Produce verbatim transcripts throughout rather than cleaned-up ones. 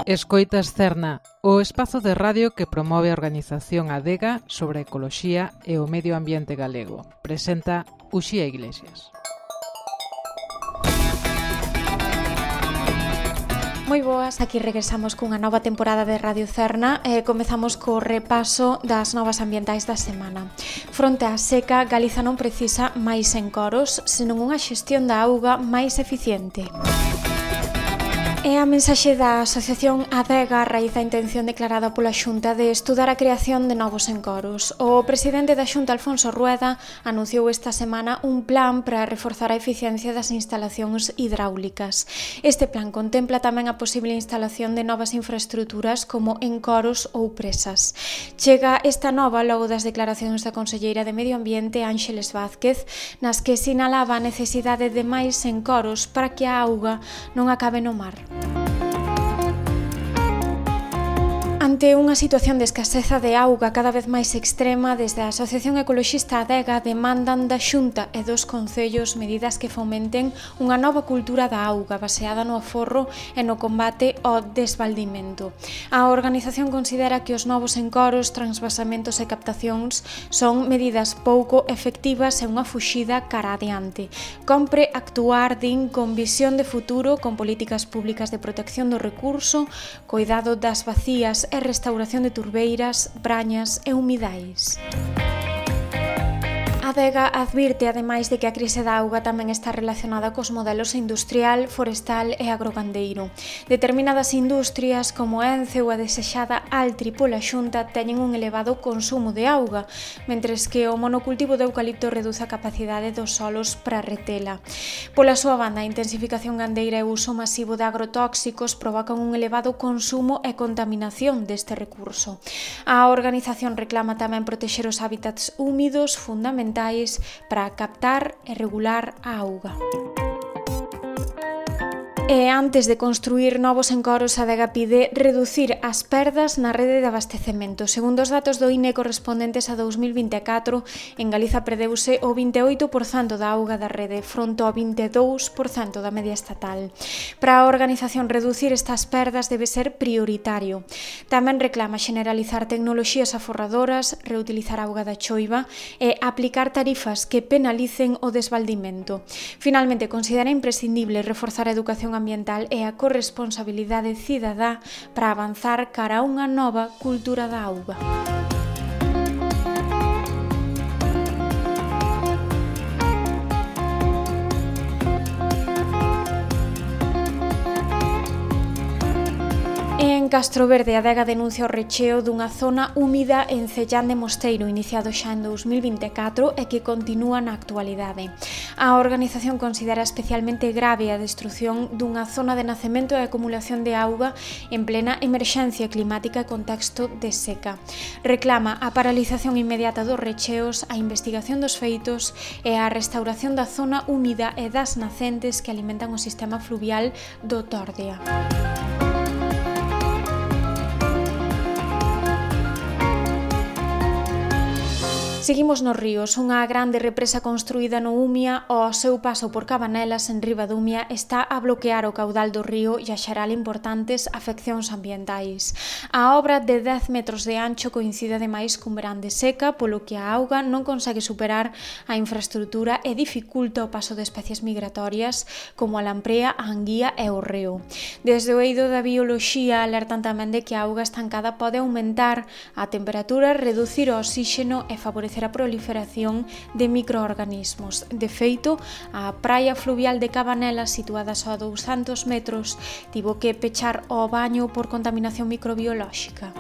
Escoitas Cerna, o espazo de radio que promove a organización Adega sobre a ecoloxía e o medio ambiente galego. Presenta Uxía Iglesias. Moi boas, aquí regresamos cunha nova temporada de Radio Cerna e comezamos co repaso das novas ambientais da semana. Fronte á seca, Galiza non precisa máis encoros, senón unha xestión da auga máis eficiente. É a mensaxe da Asociación Adega a raíz da intención declarada pola Xunta de estudar a creación de novos encoros. O presidente da Xunta, Alfonso Rueda, anunciou esta semana un plan para reforzar a eficiencia das instalacións hidráulicas. Este plan contempla tamén a posible instalación de novas infraestruturas como encoros ou presas. Chega esta nova logo das declaracións da conselleira de Medio Ambiente, Ánxeles Vázquez, nas que sinalaba a necesidade de máis encoros para que a auga non acabe no mar. Ante unha situación de escaseza de auga cada vez máis extrema, desde a Asociación Ecoloxista Adega demandan da Xunta e dos concellos medidas que fomenten unha nova cultura da auga baseada no aforro e no combate ao desvaldimento. A organización considera que os novos encoros, transvasamentos e captacións son medidas pouco efectivas e unha fuxida cara adiante. Compre actuar, din, con visión de futuro, con políticas públicas de protección do recurso, coidado das vacías e restauración de turbeiras, brañas e humidais. A Adega advirte, ademais, de que a crise da auga tamén está relacionada cos modelos industrial, forestal e agrogandeiro. Determinadas industrias, como Ence ou a desexada Altri pola Xunta, teñen un elevado consumo de auga, mentres que o monocultivo de eucalipto reduce a capacidade dos solos para retela. Pola súa banda, a intensificación gandeira e o uso masivo de agrotóxicos provocan un elevado consumo e contaminación deste recurso. A organización reclama tamén protexer os hábitats húmidos fundamentais para captar e regular a auga. E antes de construir novos encoros, a Adega pide reducir as perdas na rede de abastecemento. Segundo os datos do I N E correspondentes a dous mil vinte e catro, en Galiza perdeuse o vinte e oito por cento da auga da rede, fronte ao vinte e dous por cento da media estatal. Para a organización, reducir estas perdas debe ser prioritario. Tamén reclama generalizar tecnoloxías aforradoras, reutilizar a auga da choiva e aplicar tarifas que penalicen o desvaldimento. Finalmente, considera imprescindible reforzar a educación ambiental e a corresponsabilidade cidadá para avanzar cara a unha nova cultura da auga. En Castroverde, a Adega denuncia o recheo dunha zona húmida en Cellán de Mosteiro, iniciado xa en dous mil vinte e catro e que continúa na actualidade. A organización considera especialmente grave a destrución dunha zona de nacemento e acumulación de auga en plena emerxencia climática e contexto de seca. Reclama a paralización inmediata dos recheos, a investigación dos feitos e a restauración da zona húmida e das nacentes que alimentan o sistema fluvial do Tordea. Seguimos nos ríos. Unha grande represa construída no Umia ao seu paso por Cabanelas, en Riba do Umia, está a bloquear o caudal do río e a xerar importantes afeccións ambientais. A obra de dez metros de ancho coincide ademais cun verán de seca, polo que a auga non consegue superar a infraestrutura e dificulta o paso de especies migratorias como a lamprea, a anguía e o reo. Desde o eido da bioloxía alertan tamén de que a auga estancada pode aumentar a temperatura, reducir o oxígeno e favorecer a proliferación de microorganismos. De feito, a praia fluvial de Cabanelas, situada só a douscentos metros, tivo que pechar o baño por contaminación microbiolóxica.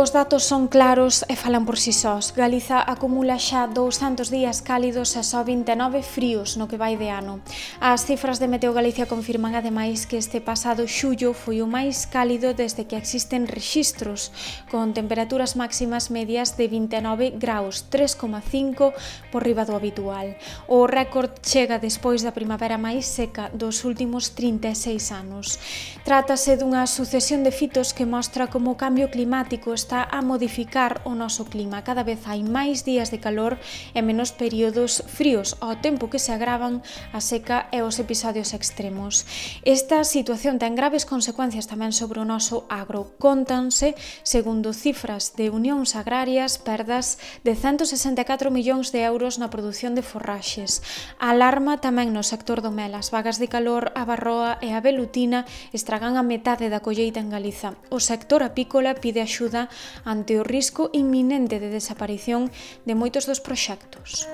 Os datos son claros e falan por si sós. Galiza acumula xa douscentos días cálidos e só vinte e nove fríos no que vai de ano. As cifras de Meteo Galicia confirman ademais que este pasado xullo foi o máis cálido desde que existen rexistros, con temperaturas máximas medias de vinte e nove graus, tres coma cinco por riba do habitual. O récord chega despois da primavera máis seca dos últimos trinta e seis anos. Trátase dunha sucesión de fitos que mostra como o cambio climático está está a modificar o noso clima. Cada vez hai máis días de calor e menos períodos fríos, ao tempo que se agravan a seca e os episodios extremos. Esta situación ten graves consecuencias tamén sobre o noso agro. Contanse, segundo cifras de Unións Agrarias, perdas de ciento sesenta e catro millóns de euros na produción de forraxes. Alarma tamén no sector do mel. As vagas de calor, a barroa e a velutina estragan a metade da colleita en Galiza. O sector apícola pide axuda ante o risco inminente de desaparición de moitos dos proxectos.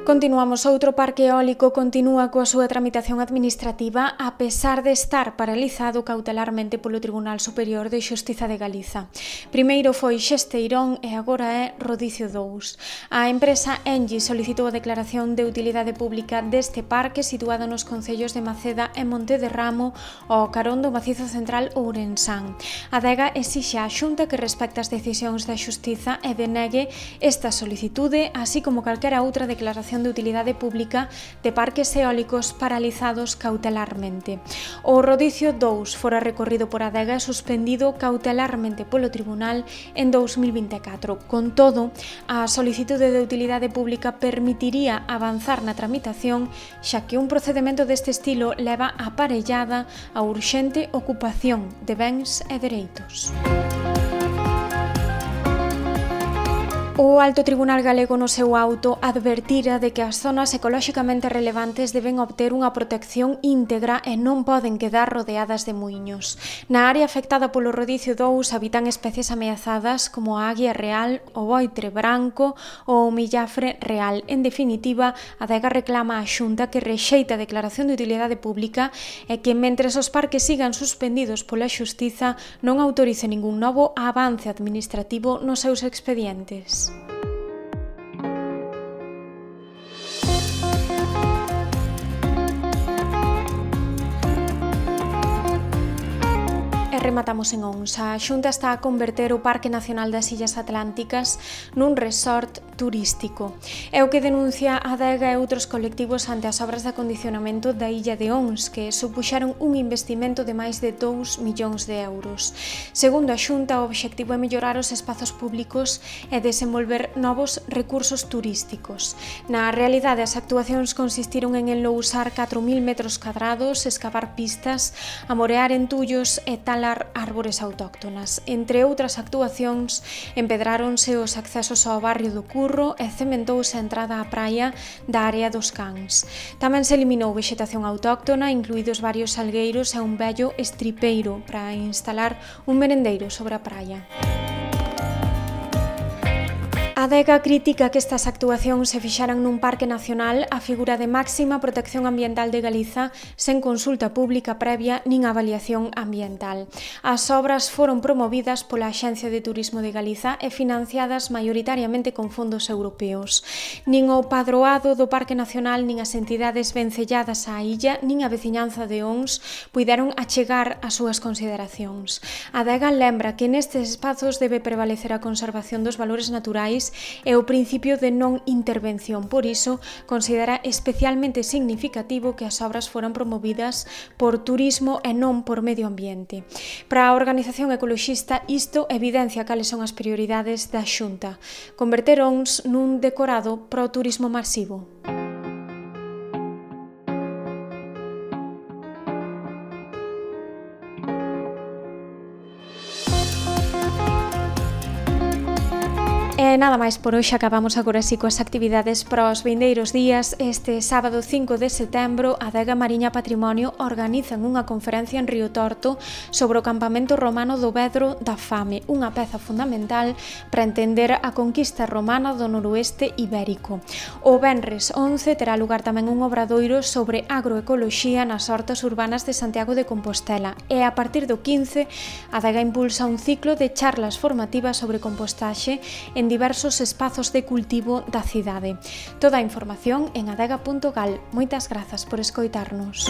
Continuamos. Outro parque eólico continúa coa súa tramitación administrativa a pesar de estar paralizado cautelarmente polo Tribunal Superior de Xustiza de Galiza. Primeiro foi Xesteirón e agora é Rodicio dous. A empresa Engie solicitou a declaración de utilidade pública deste parque situado nos concellos de Maceda e Monte de Ramo ao carón do Macizo Central Ourensán. A Adega exixe á Xunta que respecte as decisións da Xustiza e denegue esta solicitude, así como calquera outra declaración de utilidade pública de parques eólicos paralizados cautelarmente. O Rodicio dous fora recorrido por Adega e suspendido cautelarmente polo Tribunal en dous mil vinte e catro. Con todo, a solicitude de utilidade pública permitiría avanzar na tramitación, xa que un procedemento deste estilo leva aparellada a urxente ocupación de bens e dereitos. O Alto Tribunal Galego no seu auto advertira de que as zonas ecolóxicamente relevantes deben obter unha protección íntegra e non poden quedar rodeadas de muiños. Na área afectada polo Rodicio dous habitan especies ameazadas como a águia real, o boitre branco ou o millafre real. En definitiva, a Adega reclama á Xunta que rexeita a declaración de utilidade pública e que, mentres os parques sigan suspendidos pola Xustiza, non autorice ningún novo avance administrativo nos seus expedientes. Rematamos en Ons. A Xunta está a converter o Parque Nacional das Illas Atlánticas nun resort turístico. É o que denuncia a Adega e outros colectivos ante as obras de acondicionamento da illa de Ons, que supuxaron un investimento de máis de dous millóns de euros. Segundo a Xunta, o obxectivo é mellorar os espazos públicos e desenvolver novos recursos turísticos. Na realidade, as actuacións consistiron en enlousar catro mil metros cadrados, escavar pistas, amorear entullos e talar árbores autóctonas. Entre outras actuacións, empedráronse os accesos ao barrio do Curro e cementouse a entrada á praia da área dos Cans. Tamén se eliminou vexetación autóctona, incluídos varios salgueiros e un vello estripeiro para instalar un merendeiro sobre a praia. A Adega critica que estas actuacións se fixaran nun parque nacional a figura de máxima protección ambiental de Galiza sen consulta pública previa nin avaliación ambiental. As obras foron promovidas pola Axencia de Turismo de Galiza e financiadas maioritariamente con fondos europeos. Nin o padroado do Parque Nacional nin as entidades vencelladas á illa nin a veciñanza de Ons puideron achegar as súas consideracións. A Adega lembra que nestes espazos debe prevalecer a conservación dos valores naturais e o principio de non intervención. Por iso, considera especialmente significativo que as obras foran promovidas por turismo e non por medio ambiente. Para a organización ecoloxista, isto evidencia cales son as prioridades da Xunta: converter Ons nun decorado pro turismo masivo. E nada máis por hoxe, acabamos agora así coas actividades para os vindeiros días. Este sábado cinco de setembro, a Adega Mariña Patrimonio organizan unha conferencia en Río Torto sobre o campamento romano do Vedro da Fame, unha peza fundamental para entender a conquista romana do noroeste ibérico. O venres once terá lugar tamén un obradoiro sobre agroecoloxía nas hortas urbanas de Santiago de Compostela e a partir do quince, a Adega impulsa un ciclo de charlas formativas sobre compostaxe en diversos espazos de cultivo da cidade. Toda a información en adega punto gal. Moitas grazas por escoitarnos.